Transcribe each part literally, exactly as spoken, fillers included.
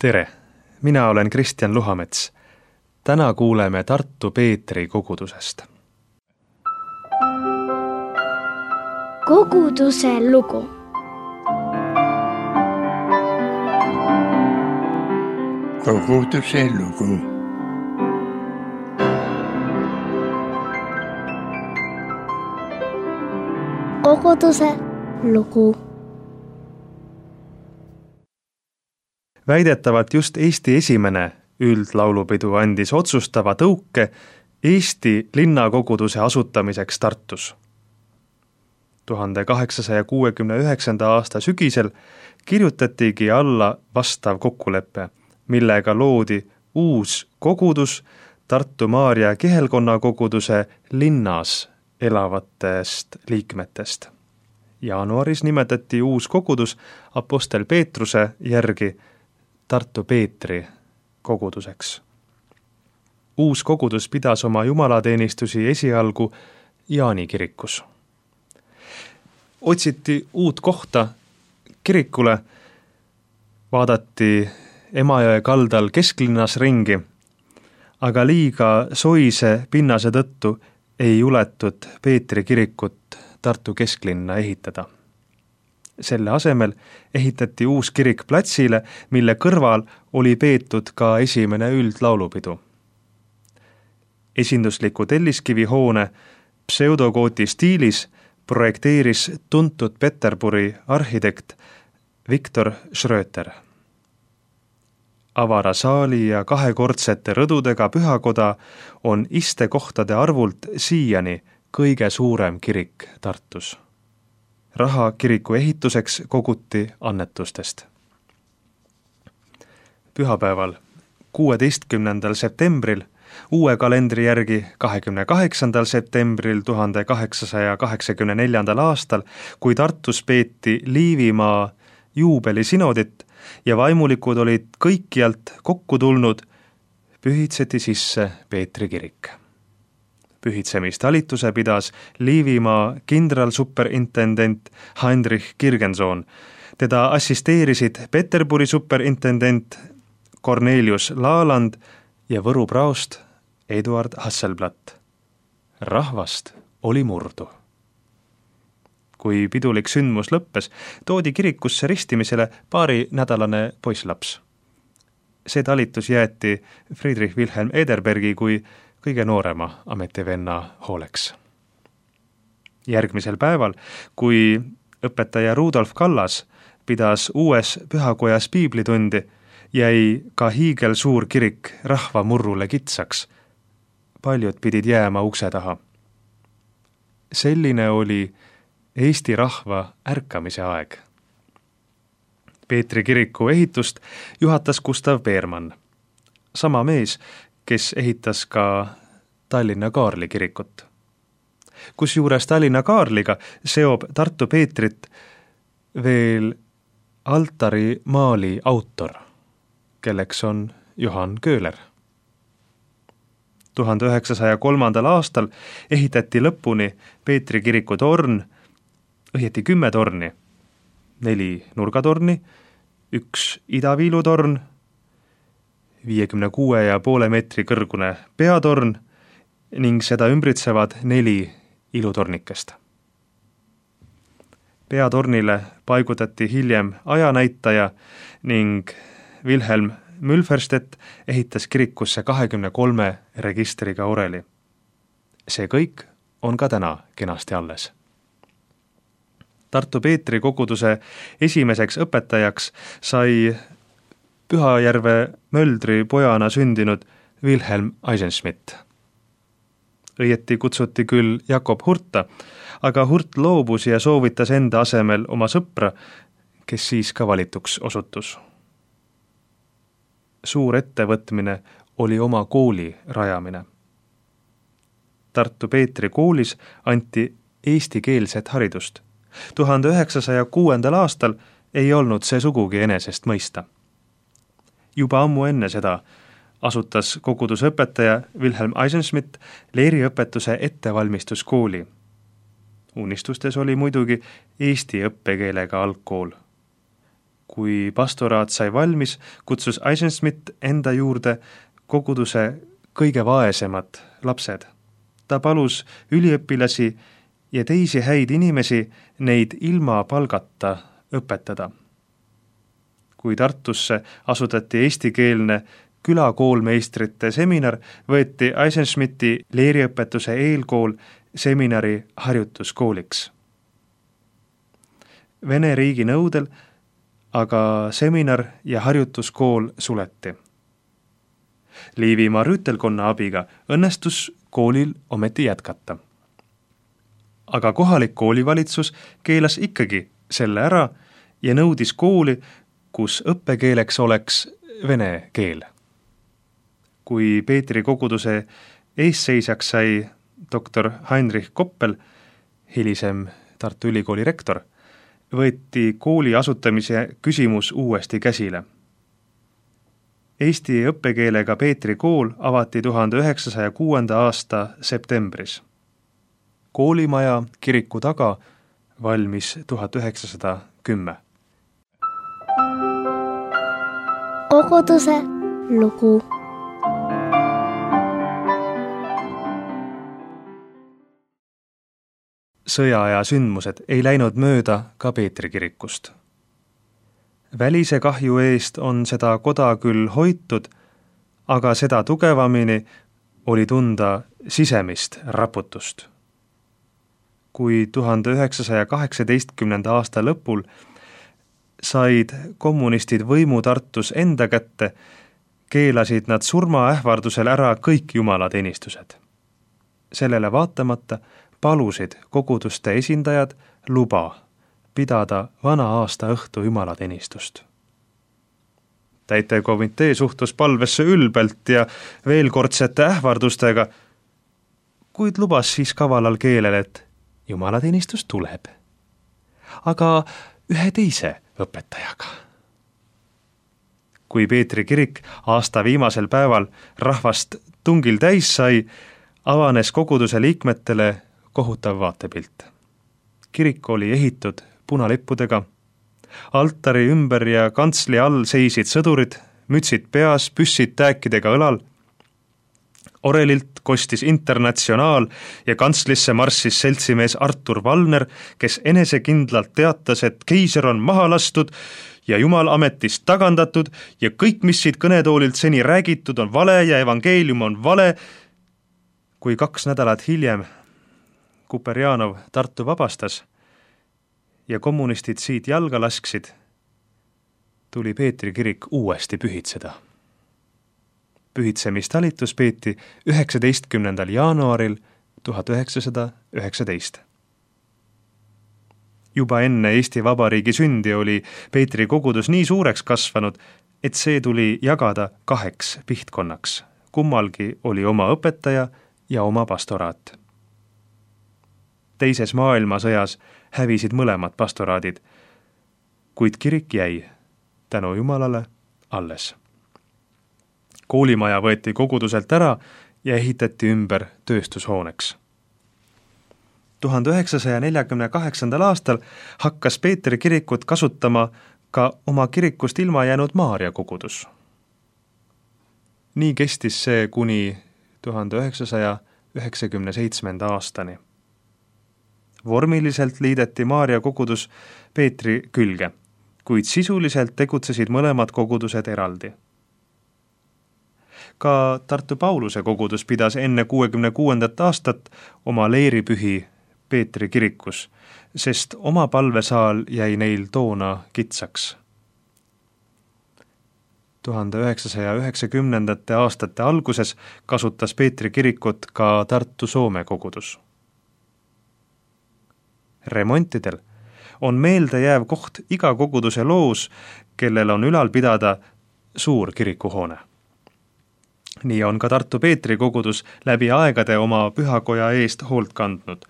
Tere, mina olen Kristjan Luhamets. Täna kuuleme Tartu Peetri kogudusest. Koguduse lugu. Koguduse lugu. Koguduse lugu. Väidetavalt just Eesti esimene üldlaulupidu andis otsustava tõuke Eesti linnakoguduse asutamiseks Tartus. tuhande kaheksasaja kuuekümne üheksanda aasta sügisel kirjutatigi alla vastav kokkulepe, millega loodi uus kogudus Tartu Maarja kihelkonna koguduse linnas elavatest liikmetest. Jaanuaris nimetati uus kogudus Apostel Peetruse järgi Tartu Peetri koguduseks. Uus kogudus pidas oma jumalateenistusi esialgu Jaani kirikus. Otsiti uut kohta kirikule, vaadati Emajõe kaldal kesklinnas ringi, aga liiga soise pinnase tõttu ei juletud Peetri kirikut Tartu kesklinna ehitada. Selle asemel ehitati uus kirik platsile, mille kõrval oli peetud ka esimene üldlaulupidu. Esindusliku telliskivi hoone pseudogooti stiilis projekteeris tuntud Peterburi arhitekt Viktor Schröter. Avara saali ja kahekordsete rõdudega pühakoda on istekohtade arvult siiani kõige suurem kirik Tartus. Raha kiriku ehituseks koguti annetustest. Pühapäeval, kuueteistkümnendal septembril, uue kalendri järgi kahekümne kaheksandal septembril tuhande kaheksasaja kaheksakümne neljandal aastal, kui Tartus peeti Liivimaa juubelisinodit ja vaimulikud olid kõikjalt kokku tulnud, pühitseti sisse Peetri kirik. Pühitsemistalituse pidas Liivimaa kindralsuperintendent Heinrich Kirgensohn. Teda assisteerisid Peterburi superintendent Cornelius Laaland ja Võru praost Eduard Hasselblatt. Rahvast oli murdu. Kui pidulik sündmus lõppes, toodi kirikusse ristimisele paari nädalane poisslaps. See talitus jäeti Friedrich Wilhelm Ederbergi kui kõige noorema ametivenna hooleks. Järgmisel päeval, kui õpetaja Rudolf Kallas pidas uues pühakojas piiblitundi, jäi ka hiigel suur kirik rahva murrule kitsaks. Paljud pidid jääma ukse taha. Selline oli Eesti rahva ärkamise aeg. Peetri kiriku ehitust juhatas Gustav Beermann. Sama mees, kes ehitas ka Tallinna Kaarli kirikut. Kusjuures Tallinna Kaarliga seob Tartu Peetrit veel altari maali autor, kelleks on Johann Köhler. tuhande üheksasaja kolmandal aastal ehitati lõpuni Peetri kiriku torn, õieti kümme torni, neli nurgatorni, üks idaviilutorn, viiekümne kuue ja poole meetri kõrgune peatorn ning seda ümbritsevad neli ilutornikest. Peatornile paigutati hiljem ajanäitaja ning Wilhelm Mülferstedt ehitas kirikusse kahekümne kolme registriga oreli. See kõik on ka täna kenasti alles. Tartu Peetri koguduse esimeseks õpetajaks sai Pühajärve Möldri pojana sündinud Wilhelm Eisenschmidt. Õieti kutsuti küll Jakob Hurta, aga Hurt loobus ja soovitas enda asemel oma sõpra, kes siis ka valituks osutus. Suur ettevõtmine oli oma kooli rajamine. Tartu Peetri koolis anti eestikeelset haridust. tuhande üheksasaja kuuendal aastal ei olnud see sugugi enesest mõista. Juba ammu enne seda asutas kogudusõpetaja Wilhelm Eisenschmidt leeriõpetuse ettevalmistuskooli. Unistustes oli muidugi eesti õppekeelega algkool. Kui pastoraat sai valmis, kutsus Eisenschmidt enda juurde koguduse kõige vaesemad lapsed. Ta palus üliõpilasi ja teisi häid inimesi neid ilma palgata õpetada. Kui Tartusse asutati eestikeelne külakoolmeistrite seminar, võeti Eisenschmidti leeriõpetuse eelkool seminari harjutuskooliks. Vene riigi nõudel aga seminar ja harjutuskool suleti. Liivimaa rüütelkonna abiga õnnestus koolil ometi jätkata. Aga kohalik koolivalitsus keelas ikkagi selle ära ja nõudis kooli, kus õppekeeleks oleks vene keel. Kui Peetri koguduse eesseisjaks sai doktor Heinrich Koppel, hilisem Tartu Ülikooli rektor, võeti kooli asutamise küsimus uuesti käsile. Eesti õppekeelega Peetri kool avati tuhande üheksasaja kuuenda aasta septembris. Koolimaja kiriku taga valmis tuhat üheksasada kümme. Koguduse lugu. Sõjaaja sündmused ei läinud mööda ka Peetri kirikust. Välise kahju eest on seda koda küll hoitud, aga seda tugevamini oli tunda sisemist raputust. Kui tuhande üheksasaja kaheksateistkümnenda aasta lõpul said kommunistid võimu Tartus enda kätte, keelasid nad surmaähvardusel ära kõik jumalateenistused. Sellele vaatamata palusid koguduste esindajad luba pidada vana aasta õhtu jumalateenistust. Täitekomitee suhtus palvesse ülbelt ja veelkordsete ähvardustega, kuid lubas siis kavalal keelel, et jumalateenistus tuleb, aga ühe teise õpetajaga. Kui Peetri kirik aasta viimasel päeval rahvast tungil täis sai, avanes koguduse liikmetele kohutav vaatepilt. Kirik oli ehitud punalippudega, altari ümber ja kantsli all seisid sõdurid, mütsid peas, püssid tääkidega õlal. Orelilt kostis Internatsionaal ja kantslisse marssis seltsimees Artur Valner, kes enesekindlalt teatas, et keiser on maha lastud ja Jumal ametist tagandatud ja kõik, mis siit kõnetoolilt seni räägitud, on vale ja evangeelium on vale. Kui kaks nädalat hiljem Kuperjanov Tartu vabastas ja kommunistid siit jalga lasksid, tuli Peetri kirik uuesti pühitseda. Pühitsemistalitus peeti üheksateistkümnendal jaanuaril tuhat üheksasada üheksateist. Juba enne Eesti Vabariigi sündi oli Peetri kogudus nii suureks kasvanud, et see tuli jagada kaheks pihtkonnaks. Kummalgi oli oma õpetaja ja oma pastoraat. Teises maailmasõjas hävisid mõlemad pastoraadid, kuid kirik jäi tänu Jumalale alles. Koolimaja võeti koguduselt ära ja ehitati ümber tööstushooneks. tuhande üheksasaja neljakümne kaheksandal aastal hakkas Peetri kirikut kasutama ka oma kirikust ilma jäänud Maarja kogudus. Nii kestis see kuni tuhande üheksasaja üheksakümne seitsmenda aastani. Vormiliselt liideti Maarja kogudus Peetri külge, kuid sisuliselt tegutsesid mõlemad kogudused eraldi. Ka Tartu Pauluse kogudus pidas enne kuuekümne kuuendat aastat oma leeripühi Peetri kirikus, sest oma palvesaal jäi neil toona kitsaks. tuhande üheksasaja üheksakümnendate aastate alguses kasutas Peetri kirikut ka Tartu Soome kogudus. Remontidel on meeldejääv koht iga koguduse loos, kellel on ülal pidada suur kirikuhoone. Nii on ka Tartu Peetri kogudus läbi aegade oma pühakoja eest hoolt kandnud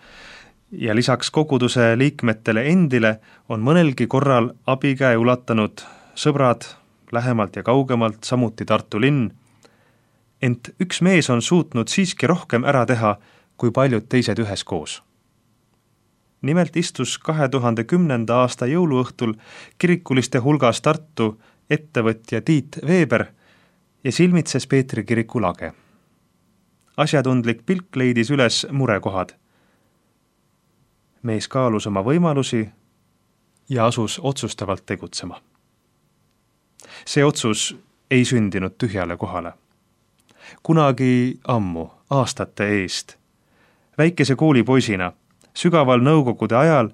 ja lisaks koguduse liikmetele endile on mõnelgi korral abikäe ulatanud sõbrad lähemalt ja kaugemalt, samuti Tartu linn, ent üks mees on suutnud siiski rohkem ära teha kui paljud teised üheskoos. nimelt istus kahe tuhande kümnenda aasta jõuluõhtul kirikuliste hulgas Tartu ettevõtja Tiit Veber ja silmitses Peetri kiriku lage. Asjatundlik pilk leidis üles murekohad. Mees kaalus oma võimalusi ja asus otsustavalt tegutsema. See otsus ei sündinud tühjale kohale. Kunagi ammu, aastate eest, väikese koolipoisina, sügaval nõukogude ajal,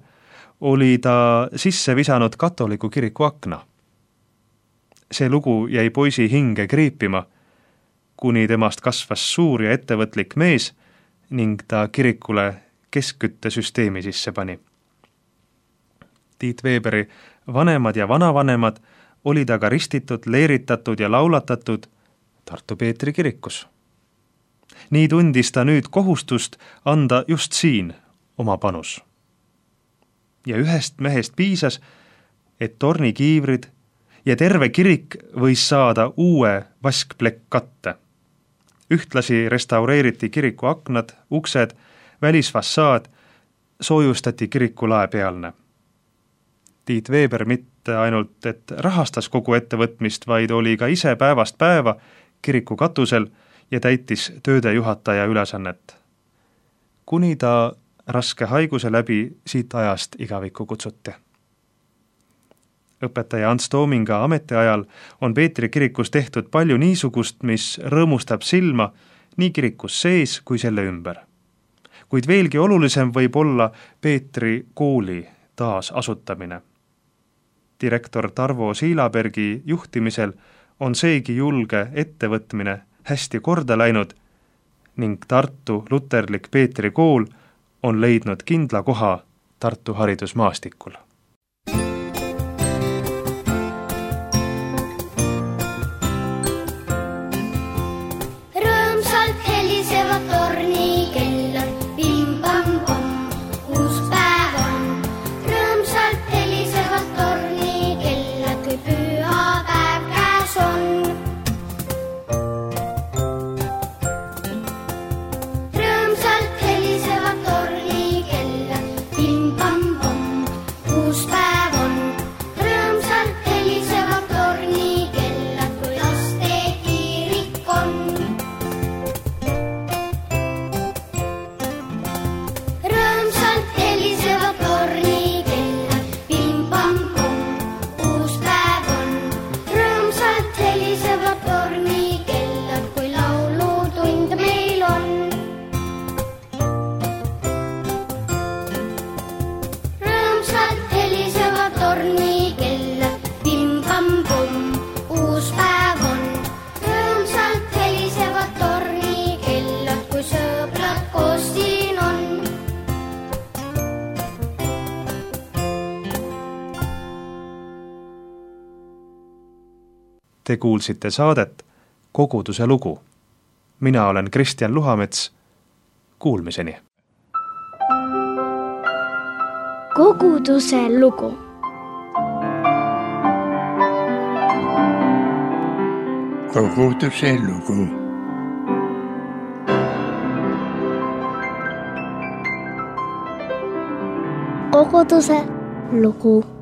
oli ta sisse visanud katoliku kiriku akna. See lugu jäi poisi hinge kriipima, kuni temast kasvas suur ja ettevõtlik mees ning ta kirikule keskküttesüsteemi sisse pani. Tiit Veberi vanemad ja vanavanemad olid aga ristitud, leeritatud ja laulatatud Tartu Peetri kirikus. Nii tundis ta nüüd kohustust anda just siin oma panus. Ja ühest mehest piisas, et tornikiivrid ja terve kirik võis saada uue vaskplekkatte. Ühtlasi restaureeriti kiriku aknad, uksed, välisfassaad, soojustati kiriku laepealne. Tiit Veber mitte ainult, et rahastas kogu ettevõtmist, vaid oli ka ise päevast päeva kiriku katusel ja täitis tööde juhataja ülesannet. Kuni ta raske haiguse läbi siit ajast igavikku kutsuti. Õpetaja Ants Toominga ametiajal on Peetri kirikus tehtud palju niisugust, mis rõõmustab silma nii kirikus sees kui selle ümber. Kuid veelgi olulisem võib olla Peetri kooli taasasutamine. Direktor Tarvo Siilabergi juhtimisel on seegi julge ettevõtmine hästi korda läinud ning Tartu luterlik Peetri kool on leidnud kindla koha Tartu haridusmaastikul. Rõõmsalt helisevad tornikellad, pim-pam-pom, uus päev on. Rõõmsalt helisevad tornikellad, kui pühapäev käes on. Rõõmsalt helisevad tornikellad, pim-pam-pom, uus päev on. Rõõmsalt helisevad tornikellad, kui laste kirik on. Rõõmsalt helisevad tornikellad, pim-pam-pom, uus päev on. Rõõmsalt helisevad tornikellad, kui laulutund meil on. Rõõmsalt helisevad tornikellad, pim-pam-pom, uus päev on. Rõõmsalt helisevad tornikellad, kui sõbrad koos siin on. Te kuulsite saadet Koguduse lugu. Mina olen Kristjan Luhamets. Kuulmiseni. Koguduse lugu. Koguduse lugu. Koguduse lugu.